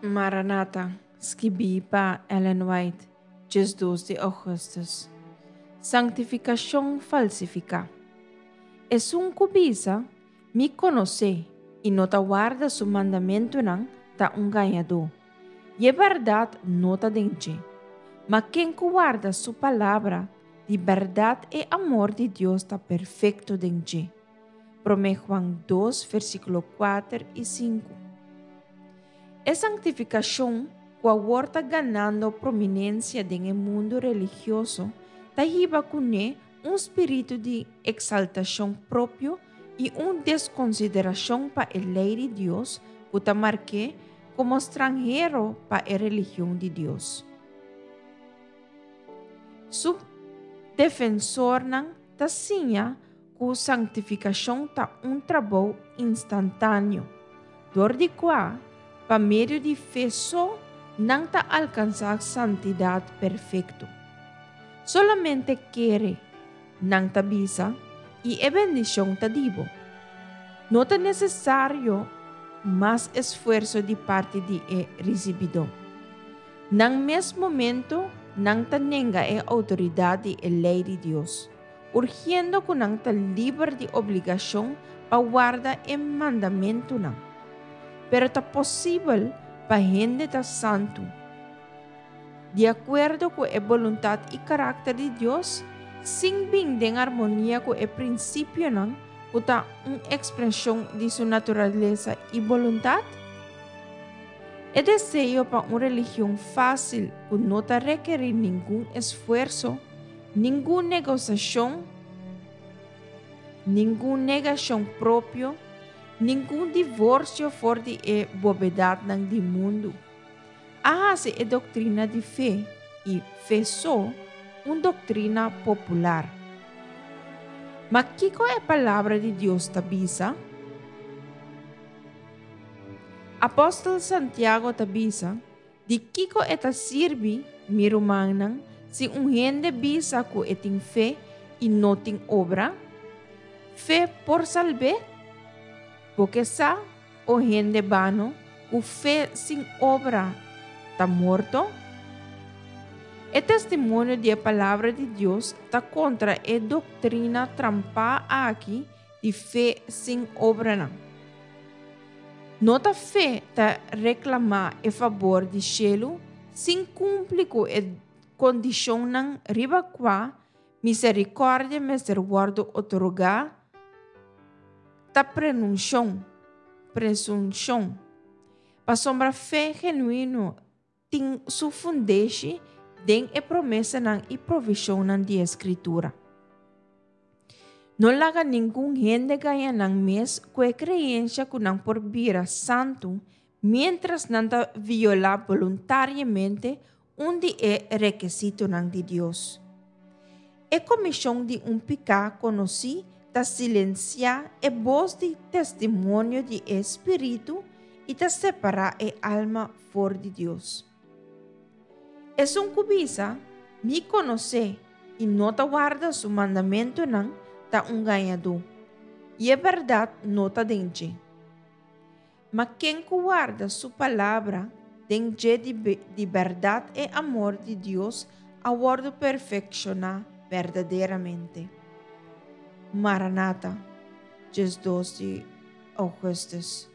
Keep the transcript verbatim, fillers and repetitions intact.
Maranata, skibí pa Ellen White, diesdos di ougùstùs. Sanktifikashon falsifiká. Esun ku bisa, Mi konos'é, i no ta warda su mandamentunan, ta un gañadó, i e bèrdat no ta den dje. Ma ken ku warda su palabra, di bèrdat e amor di Dios ta perfekto den dje. Promé Juan dos, versíkulo kuater i sinku. E sanktifikashon ku awor ta ganando prominensia den e mundu religioso ta hiba kuné un spiritu di eksaltashon propio i un deskonsiderashon pa e lei di Dios ku ta mark'é komo stranhero pa e religion di Dios. Su defensornan ta siña ku sanktifikashon ta un trabou instantáneo, dor di kua, pa medio di fe so, nan ta alkansá santidat perfekto. Solamente kere, nan ta bisa, i e bendishon ta di bo. No ta nesesario mas esfuerso di parti di e risibidó. Na mes momento, nan ta nenga e outoridat di e lei di Dios, urgiendo ku nan ta liber di obligashon pa warda e mandamentunan. Pero ta posibel pa hende ta santu, di akuerdo ku e boluntat i karakter di Dios, sin bin den armonia ku e prinsipionan ku ta un ekspreshon di su naturalesa i boluntat? E deseo pa un religion fásil ku no ta rekerí ningun esfuerso, ningun negosiashon, ningun negashon propio, ningun divorsio for di e bobedatnan di mundu, a hasi e doktrina di fe i fe so un doktrina popular. Ma kiko e Palabra di Dios ta bisa? Apòstel Santiago ta bisa, Di kiko e ta sirbi, mi rumannan, si un hende bisa ku e tin fe i no tin obra? Fe por salb'é? Bo ke sa, o hende bano, ku fe sin obra ta morto? E testimonio di e Palabra di Dios ta kontra e doktrina trampá aki di fe sin obranan. No ta fe ta reklamá e fabor di shelu sin kumpli ku e kondishonnan riba kua miserikòrdia mester wòrdu otorgá ta prenunshon, presunshon. Pasobra fe genuino tin su fundeshi den e promesanan i provishonnan di e Skritura. No laga ningun hende gaña nan mes ku e kreensha ku nan por bira santu miéntras nan ta violá boluntariamente un di e rekisitonan di Dios. E komishon di un piká konosí ta silensiá e bos di testimonio di e Spiritu i ta separá e alma for di Dios. Esun ku bisa, Mi konos'é, i no ta warda su mandamentunan, ta un gañadó, i e bèrdat no ta den dje. Ma ken ku warda su palabra, den dje di bèrdat e amor di Dios a wòrdu perfekshoná berdaderamente. Maranata, diesdos di ougùstùs.